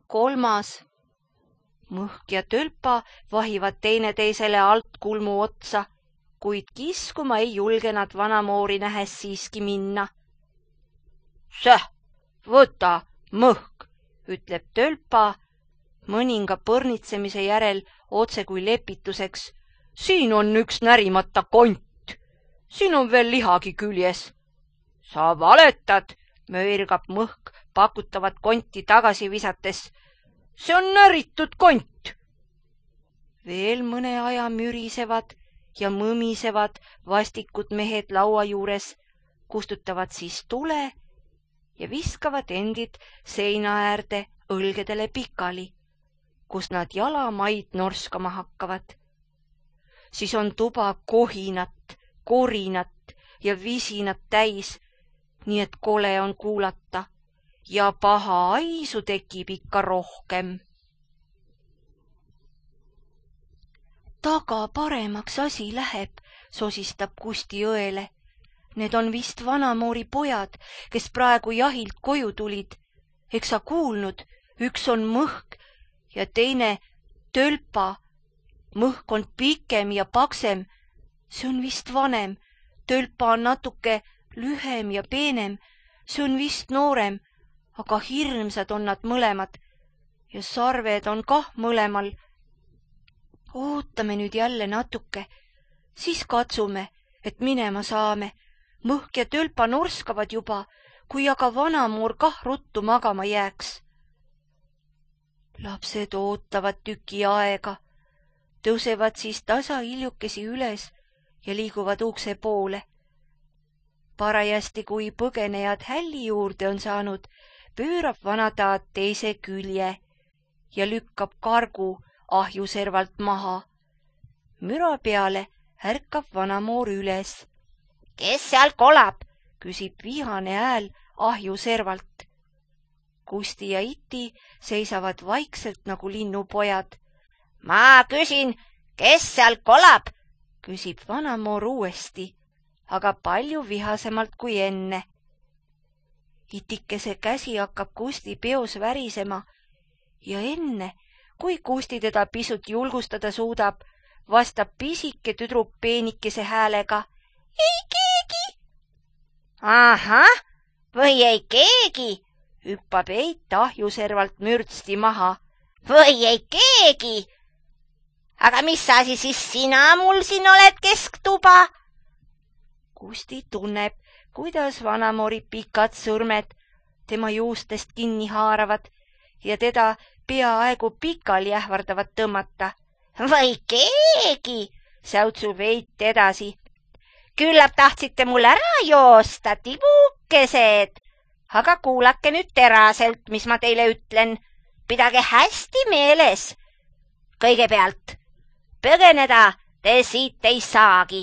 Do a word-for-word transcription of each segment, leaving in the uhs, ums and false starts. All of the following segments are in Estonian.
kolmas. Mõhk ja Tölpa vahivad teineteisele alt kulmu otsa, kuid kiskuma ei julge nad vanamoori nähes siiski minna. Säh, võta, Mõhk, ütleb Tölpa mõninga põrnitsemise järel otse kui lepituseks. Siin on üks närimata kont. Siin on veel lihagi küljes. Sa valetad, möirgab Mõhk pakutavat konti tagasi visates. See on näritud kont. Veel mõne aja mürisevad ja mõmisevad vastikud mehed laua juures, kustutavad siis tule ja viskavad endid seina äärde õlgedele pikali, kus nad jalamaid norskama hakkavad. Siis on tuba kohinat, korinat ja visinat täis, nii et kole on kuulata ja paha aisu tekib ikka rohkem. Taga paremaks asi läheb, sosistab Kusti õele. Need on vist vanamoori pojad, kes praegu jahilt koju tulid. Eks sa kuulnud, üks on Mõhk ja teine Tölpa. Mõhk on pikem ja paksem. See on vist vanem. Tölpa on natuke lühem ja peenem. See on vist noorem, aga hirmsad on nad mõlemad. Ja sarved on kah mõlemal. Ootame nüüd jälle natuke, siis katsume, et minema saame. Mõhk ja Tölpa norskavad juba, kui aga vanamoor kah ruttu magama jääks. Lapsed ootavad tüki aega, tõusevad siis tasa hiljukesi üles ja liiguvad ukse poole. Parajasti, kui põgenejad hälli juurde on saanud, pöörab vanataat teise külje ja lükkab kargu ahjuservalt maha. Müra peale ärkab vanamoor üles. Kes seal kolab? Küsib vihane hääl ahjuservalt. Kusti ja Iti seisavad vaikselt nagu linnupojad. Ma küsin, kes seal kolab? Küsib vanamoor uuesti, aga palju vihasemalt kui enne. Itikese käsi hakkab Kusti peos värisema ja enne, kui Kusti teda pisut julgustada suudab, vastab pisike tüdruk peenikese häälega. Ei keegi! Ahah, või ei keegi, hüppab Eit ahjuservalt mürtsti maha. Või ei keegi! Aga mis asi siis sina mul siin oled kesktuba? Kusti tunneb, kuidas vanamoori pikad sõrmed tema juustest kinni haaravad ja teda peaaegu pikali ähvardavad tõmmata. Või keegi, säutsub Eit edasi. Küllap tahtsite mul ära joosta, tibukesed. Aga kuulake nüüd teraselt, mis ma teile ütlen. Pidage hästi meeles. Kõigepealt, põgeneda te siit ei saagi.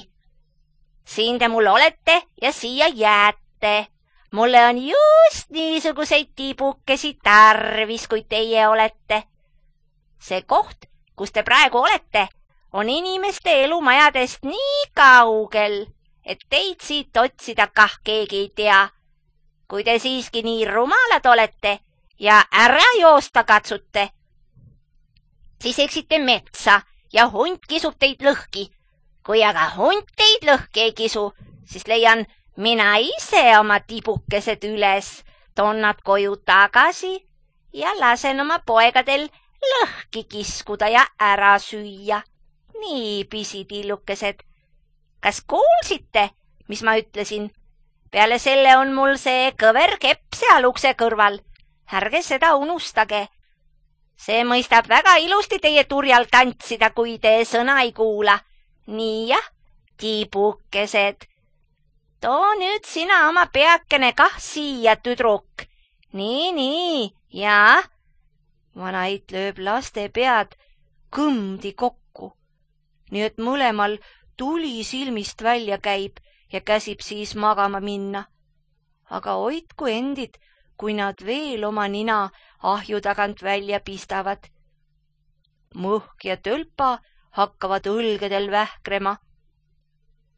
Siin te mul olete ja siia jääte. Mulle on just niisuguseid tibukesi tarvis, kui teie olete. See koht, kus te praegu olete, on inimeste elumajadest nii kaugel, et teid siit otsida kah keegi ei tea. Kui te siiski nii rumalad olete ja ära joosta katsute, siis eksite metsa ja hunt kisub teid lõhki. Kui aga hunt teid lõhki ei kisu, siis leian mina ise oma tibukesed üles, toon nad koju tagasi ja lasen oma poegadel lõhki kiskuda ja ära süüa. Nii, pisitillukesed. Kas kuulsite, mis ma ütlesin? Peale selle on mul see kõver kepp seal ukse kõrval. Ärge seda unustage. See mõistab väga ilusti teie turjal tantsida, kui te sõna ei kuula. Nii jah, tibukesed. Too nüüd sina oma peakene kah siia, tüdruk. Nii, nii, jaa. Vanait lööb laste pead kõmdi kokku, nii et mõlemal tuli silmist välja käib ja käsib siis magama minna. Aga hoidku endid, kui nad veel oma nina ahju tagant välja pistavad. Mõhk ja Tölpa hakkavad õlgedel vähkrema.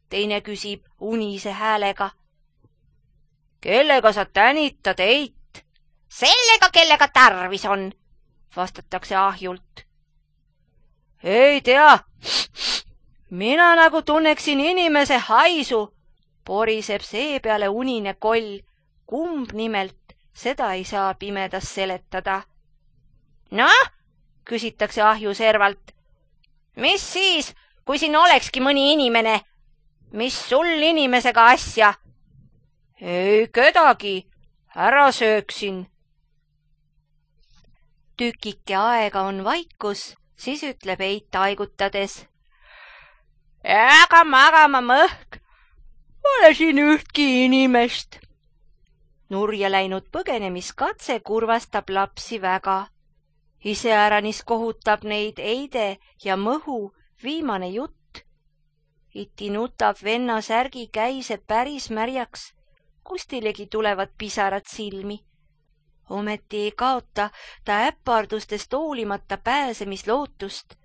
Teine küsib unise häälega. Kellega sa tänitad, Eit? Sellega, kellega tarvis on. vastatakse ahjult. Ei tea, mina nagu tunneksin inimese haisu, poriseb seepeale unine koll. Kumb nimelt, seda ei saa pimedas seletada. Noh, küsitakse ahju servalt. Mis siis, kui siin olekski mõni inimene? Mis sul inimesega asja? Ei kedagi, ära sööksin. Tükike aega on vaikus, siis ütleb Eit aigutades. Aga magama mõhk, pole siin ühtki inimest. Nurja läinud põgenemiskatse kurvastab lapsi väga. Iseäranis kohutab neid Eide ja Mõhu viimane jutt. Iti nutab venna särgi käise päris märjaks, Kustilegi tulevad pisarad silmi. Ometi ei kaota ta äppardustest hoolimata pääsemislootust.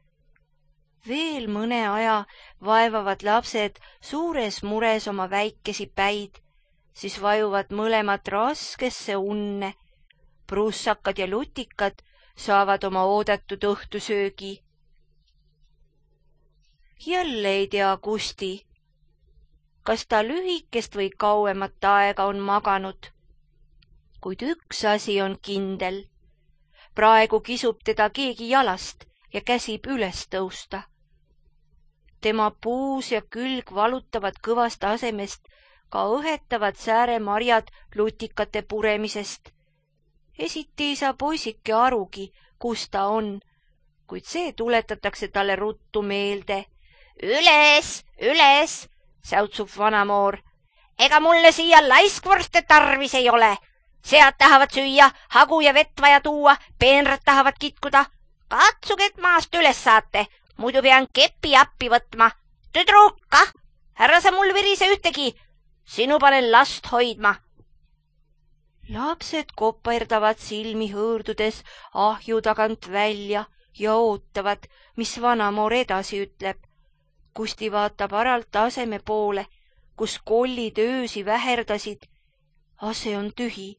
Veel mõne aja vaevavad lapsed suures mures oma väikesi päid, siis vajuvad mõlemad raskesse unne. Prussakad ja lutikad saavad oma oodatud õhtusöögi. Jälle ei tea Kusti, kas ta lühikest või kauemat aega on maganud. Kuid üks asi on kindel. Praegu kisub teda keegi jalast ja käsib üles tõusta. Tema puus ja külg valutavad kõvast asemest, ka õhetavad sääremarjad lutikate puremisest. Esiti ei saa poisike arugi, kus ta on, kuid see tuletatakse talle ruttu meelde. Üles, üles, säutsub vanamoor. Ega mulle siia laiskvorste tarvis ei ole. Sead tahavad süüa, hagu ja vett vaja tuua, peenrad tahavad kitkuda. Katsuge, et maast üles saate, muidu pean kepi appi võtma. Tüdruka, härra sa mul virise ühtegi, sinu panen last hoidma. Lapsed koperdavad silmi hõõrdudes ahju tagant välja ja ootavad, mis vanamoor edasi ütleb. Kusti vaatab aralt aseme poole, kus kollid öösi väherdasid. Ase on tühi,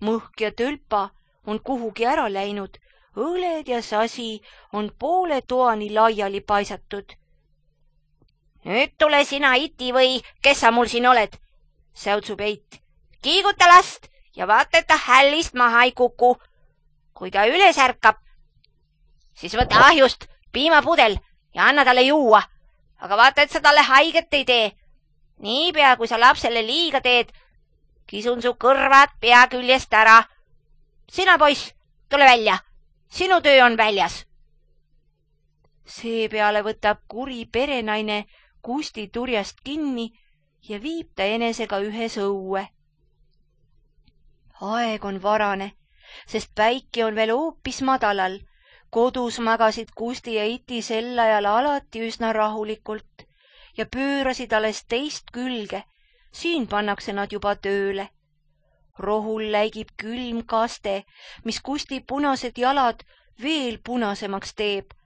mõhk ja tölpa on kuhugi ära läinud, õled ja sasi on poole toani laiali paisatud. Nüüd tule sina, Iti, või kes sa mul siin oled, säutsub Eit. Kiiguta last ja vaata, et ta hällist maha ei kuku. Kui ta üles ärkab, siis võta ahjust piimapudel ja anna talle juua. Aga vaata, et sa talle haiget ei tee. Niipea, kui sa lapsele liiga teed, kisun su kõrvad pea küljest ära. Sina, poiss, tule välja. Sinu töö on väljas. Seepeale võtab kuri perenaine Kusti turjast kinni ja viib ta enesega ühes õue. Aeg on varane, sest päike on veel hoopis madalal. Kodus magasid Kusti ja Iti sel ajal alati üsna rahulikult ja pöörasid alles teist külge. Siin pannakse nad juba tööle. Rohul läigib külm kaste, mis Kusti punased jalad veel punasemaks teeb.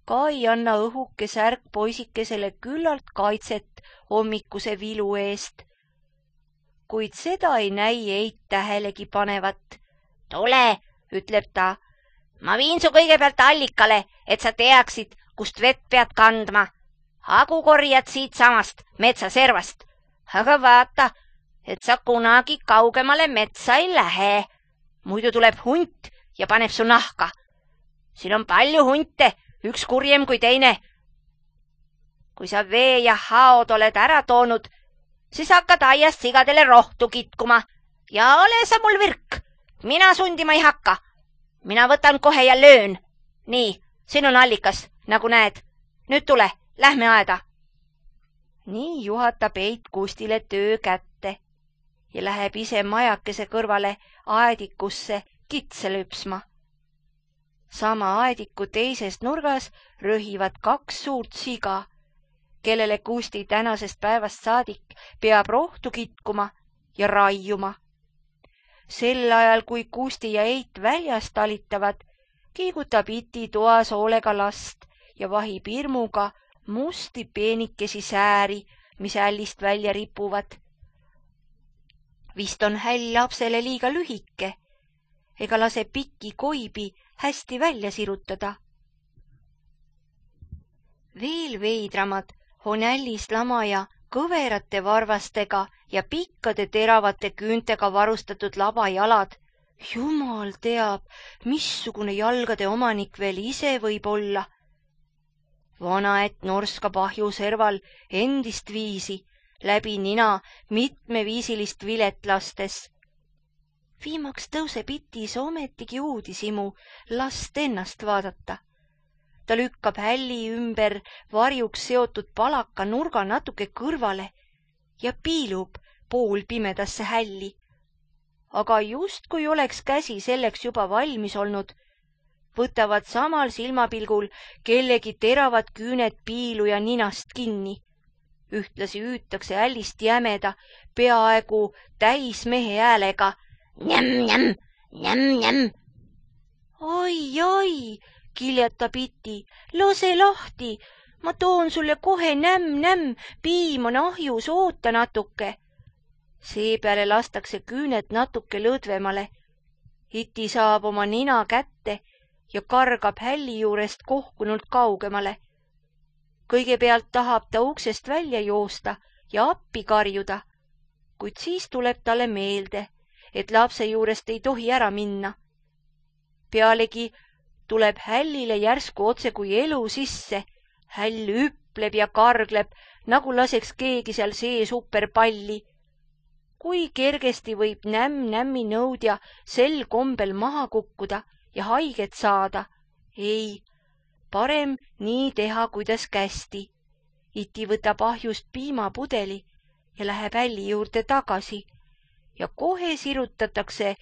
Ka ei anna õhuke särk poisikesele küllalt kaitset hommikuse vilu eest. Kuid seda ei näi Eit tähelegi panevat. Tule, ütleb ta. Ma viin su kõigepealt allikale, et sa teaksid, kust vett pead kandma. Hagu korjad siit samast metsaservast. Aga vaata, et sa kunagi kaugemale metsa ei lähe. Muidu tuleb hunt ja paneb su nahka. Siin on palju hunte, üks kurjem kui teine. Kui sa vee ja haod oled ära toonud, siis hakkad aiast sigadele rohtu kitkuma. Ja ole sa mul virk, mina sundima ei hakka. Mina võtan kohe ja löön. Nii, siin on allikas, nagu näed. Nüüd tule, lähme aeda. Nii juhatab Eit Kustile töö kätte ja läheb ise majakese kõrvale aedikusse kitse lüpsma. Sama aediku teises nurgas röhivad kaks suurt siga, kellele Kusti tänasest päevast saadik peab rohtu kitkuma ja raiuma. Sel ajal, kui Kusti ja Eit väljas talitavad, kiigutab Iti toas hoolega last ja vahib hirmuga musti peenikesi sääri, mis hällist välja ripuvad. Vist on häll lapsele liiga lühike. ega lase pikki koibi hästi välja sirutada. Veel veidramad on ällis lamaja kõverate varvastega ja pikkade teravate küüntega varustatud labajalad. Jumal teab, missugune jalgade omanik veel ise võib olla. Vanaett norskab ahju serval endist viisi, läbi nina mitmeviisilist vilet lastes. Viimaks tõuseb itis ometigi uudishimu last ennast vaadata. Ta lükkab hälli ümber varjuks seotud palaka nurga natuke kõrvale ja piilub pool pimedasse hälli. Aga just kui oleks käsi selleks juba valmis olnud, võtavad samal silmapilgul kellegi teravad küüned piiluja ninast kinni. Ühtlasi hüütakse hällist jämeda, peaaegu täis mehe häälega. Njäm, njäm, njäm, njäm. Oi, oi, kiljatab iti, lase lahti, ma toon sulle kohe nämm, nämm, piim on ahjus, oota natuke. Seepeale lastakse küüned natuke lõdvemale. Iti saab oma nina kätte ja kargab hälli juurest kohkunult kaugemale. Kõigepealt tahab ta uksest välja joosta ja appi karjuda, kuid siis tuleb talle meelde, et lapse juurest ei tohi ära minna. Pealegi tuleb hällile järsku otse kui elu sisse. Häll hüpleb ja kargleb, nagu laseks keegi seal sees superpalli. Kui kergesti võib nämm-nämmi nõudja sel kombel maha kukkuda ja haiget saada? Ei, parem nii teha, kuidas kästi. Iti võtab ahjust piimapudeli ja läheb hälli juurde tagasi ja kohe sirutatakse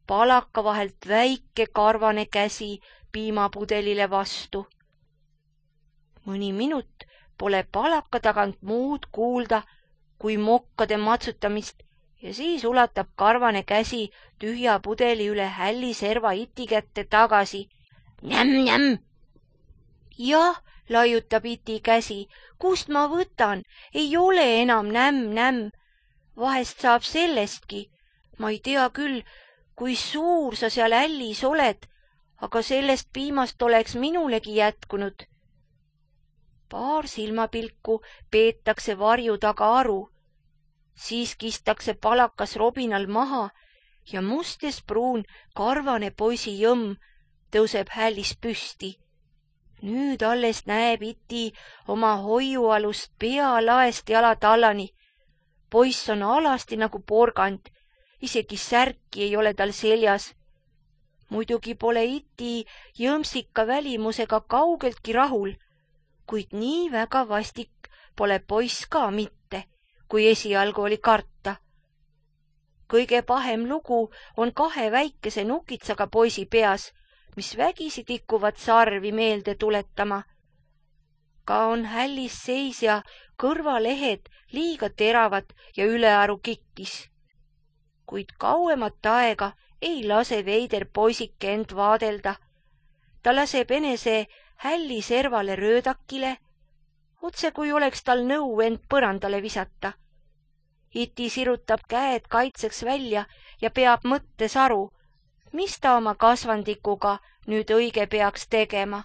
palaka vahelt väike karvane käsi piimapudelile vastu. Mõni minut pole palaka tagant muud kuulda kui mokkade matsutamist ja siis ulatab karvane käsi tühja pudeli üle hälli serva iti kätte tagasi. Njäm, njäm! Jah, laiutab iti käsi, kust ma võtan, ei ole enam nämm, nämm. Vahest saab sellestki, ma ei tea küll, kui suur sa seal hällis oled, aga sellest piimast oleks minulegi jätkunud. Paar silmapilku peetakse varju taga aru. Siis kistakse palakas robinal maha ja must ja pruun karvane poisi jõmm tõuseb hällis püsti. Nüüd alles näeb iti oma hoiualust pea laest jala tallani. Poiss on alasti nagu porgand, isegi särki ei ole tal seljas. Muidugi pole iti jõmsika välimusega kaugeltki rahul, kuid nii väga vastik pole poiss ka mitte, kui esialgu oli karta. Kõige pahem lugu on kahe väikese nukitsaga poisi peas, mis vägisi tikuvad sarvi meelde tuletama. Ka on hällis seisja kõrvalehed liiga teravad ja ülearu kikkis. Kuid kauemat aega ei lase veider poisike end vaadelda. Ta laseb enese hälli servale röödakile, otse kui oleks tal nõu end põrandale visata. Iti sirutab käed kaitseks välja ja peab mõttes aru, mis ta oma kasvandikuga nüüd õige peaks tegema.